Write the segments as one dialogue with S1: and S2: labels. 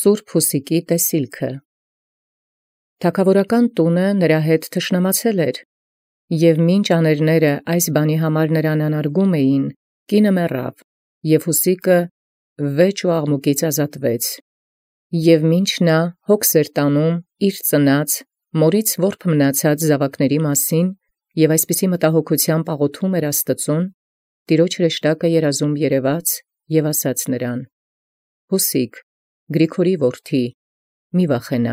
S1: Սուրբ Հուսիկի տեսիլքը։ Թագաւորական տունը նրա հետ թշնամացել էր, եւ մինչ աներները այս բանի համար նրան անարգում էին, կինը մեռավ, եւ Հուսիկը վեճ ու աղմուկից ազատվեց։ Եւ մինչ նա հոգս էր տանում իր ծնած, մորից որբ մնացած զաւակների մասին, եւ այսպիսի մտահոգութեամբ աղոթում էր Աստծուն, Տիրոջ հրեշտակը երազում երևաց եւ ասաց նրան. «Հուսիկ, Գրիգորի որդի, մի վախենա,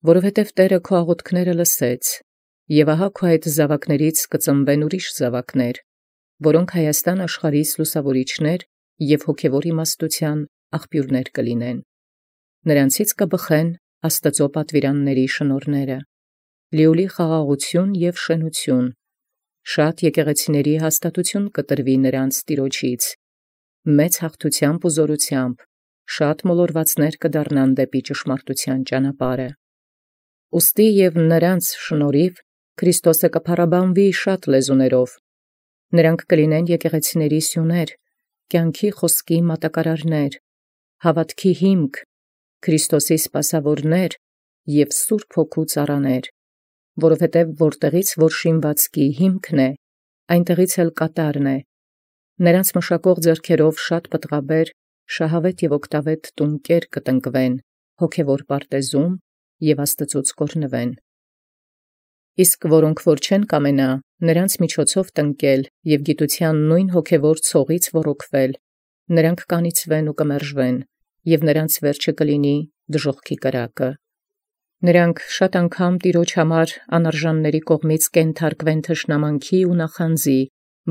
S1: որովհետև Տէրը քո աղոթքները լսեց, եւ ահա քո այդ զաւակներից կծնվեն ուրիշ զաւակներ, որոնք Հայաստան աշխարհիս լուսաւորիչներ եւ հոգևոր իմաստութեան աղբիւրներ կլինեն. նրանցից կբխեն Աստծո պատվիրանների շնորհները, լիովի խաղաղություն եւ շենություն, շատ եկեղեցիների հաստատություն կտրվի նրանց Տիրոջից, մեծ հաղթութեամբ ու զօրութեամբ, շատ մոլորվածներ կդառնան դեպի ճշմարտութեան ճանապարհը։ Ուստի եւ նրանց շնորհիվ Քրիստոսը կփառաբանվի շատ լեզուներով, նրանք կլինեն եկեղեցիների սյուներ, կյանքի խոսքի մատակարարներ, հավատքի հիմք, Քրիստոսի սպասավորներ եւ Սուրբ Հոգու ծառաներ, որովհետև որտեղից որ շինվածքի հիմքն է, այնտեղից էլ կատարն է, նրանց մշակող ձեռքերով շատ պտղաբեր, շահավետ եւ օգտավետ տունկեր կտնկվեն հոգևոր պարտեզում եւ Աստծուց կօրհնվեն։ Իսկ որոնք որ չեն կամենա նրանց միջոցով տնկել եւ գիտության նույն հոգևոր ցողից ոռոգվել, նրանք կանիցվեն ու կմերժվեն, եւ նրանց վերջը կլինի դժոխքի կրակը։ Նրանք շատ անգամ Տիրոջ համար անարժանների կողմից կենթարկվեն թշնամանքի ու նախանձի,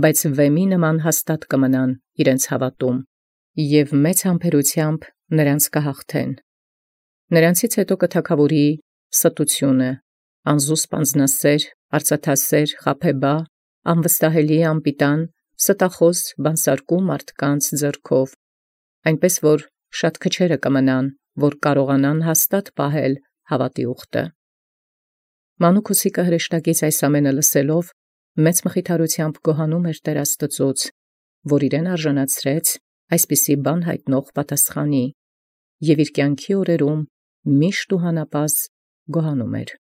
S1: բայց վեմի նման հաստատ կմնան իրենց հավատում, եւ մեծ համբերութեամբ նրանց կհաղթեն։ Նրանցից հետո կթագաւորի ստությունը, անզուսպ անձնասեր, արծաթասեր, խաբեբա, անվստահելի անպիտան, ստախոս, բանսարկու մարդկանց ձեռքով, այնպես որ շատ քչերը կմնան, որ կարողանան հաստատ պահել հավատի ուխտը։ Մանուկ Հուսիկը հրեշտակից այս ամենը լսելով, մեծ մխիթարութեամբ գոհանում էր Տեր Աստծուց, որ իրեն արժանացրեց այսպիսի բան հայտնող պատասխանի, եւ իր կյանքի օրերում միշտ ու հանապազգոհանում էր։